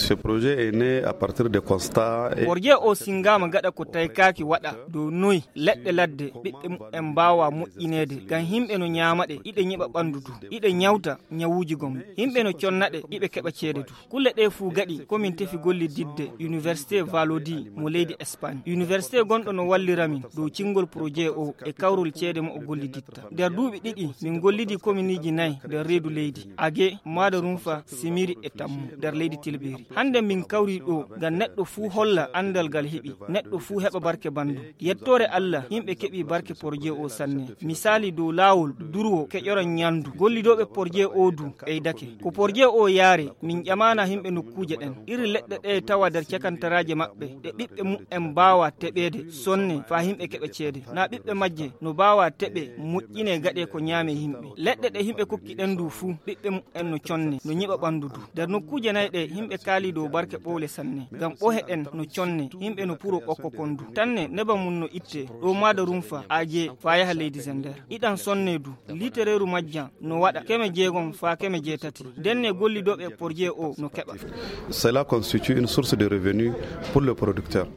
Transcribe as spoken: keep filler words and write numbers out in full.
Ce projet est né à partir de constat. Porje o singaama gaɗa ko taykaaki waɗa dow noy leɗɗe ladde ɓiɓɓe mumen mbaawa moƴƴineede ngam yimɓe no ñaama ɗe, iɗe ñiɓa ɓanndu du, iɗe ñawta ñawuuji gom, yimɓe no conna ɗe, iɓe keɓa ceede du. Kulle ɗe fuu gaɗi komin tefi gollididde Université Valodi mo leydi Espagne. Université gonɗo no wallira min dow cingol projet o e kawrol ceede mo o golliditta. Nder duuɓi ɗiɗi min gollidi kominiiji nayi nder reedu leydi, Age, Maada Rumfa, Simiri e Tammu nder leydi Tilberi. Hannde min kawri ɗo ngam neɗɗo fuu holla anndal ngal heɓi, neɗɗo fuu heɓa barke banndum. Yettoore Allah, yimɓe keɓi barke porje o sanne. Misaali dow laawol durwo keƴoran ñandu. Gollidooɓe porje o du ɓeydake. Ko porje o yaare, min ƴamaana yimɓe nokkuuje ɗen. Iri leɗɗe ɗe tawa nder cakantaraaje maɓɓe, ɗe ɓiɓɓe mumen mbaawa teɓeede sonne faa yimɓe keɓa ceede. Naa ɓiɓɓe majje no mbaawa teɓe moƴƴine gaɗe ko ñaame yimɓe. Leɗɗe ɗe yimɓe kokki ɗen du fuu, ɓiɓɓe mumen no conne, no ñiɓa ɓanndu du. Nder nokkuuje nayi ɗe yimɓe kaali dow barke ɓowle sanne. Ngam ɓohe ɗen no conne, yimɓe no puro ɓokko kon du. Tanne neba mum no itte, ɗo Maada Rumfa, Aje, faa yaha leydi Zender. Iɗan sonne du, litereeru majjan no waɗa keme jeegom faa keme jeetati. Ndenne gollidooɓe e porje o no keɓa. Cela constitue une source de revenus pour le producteur.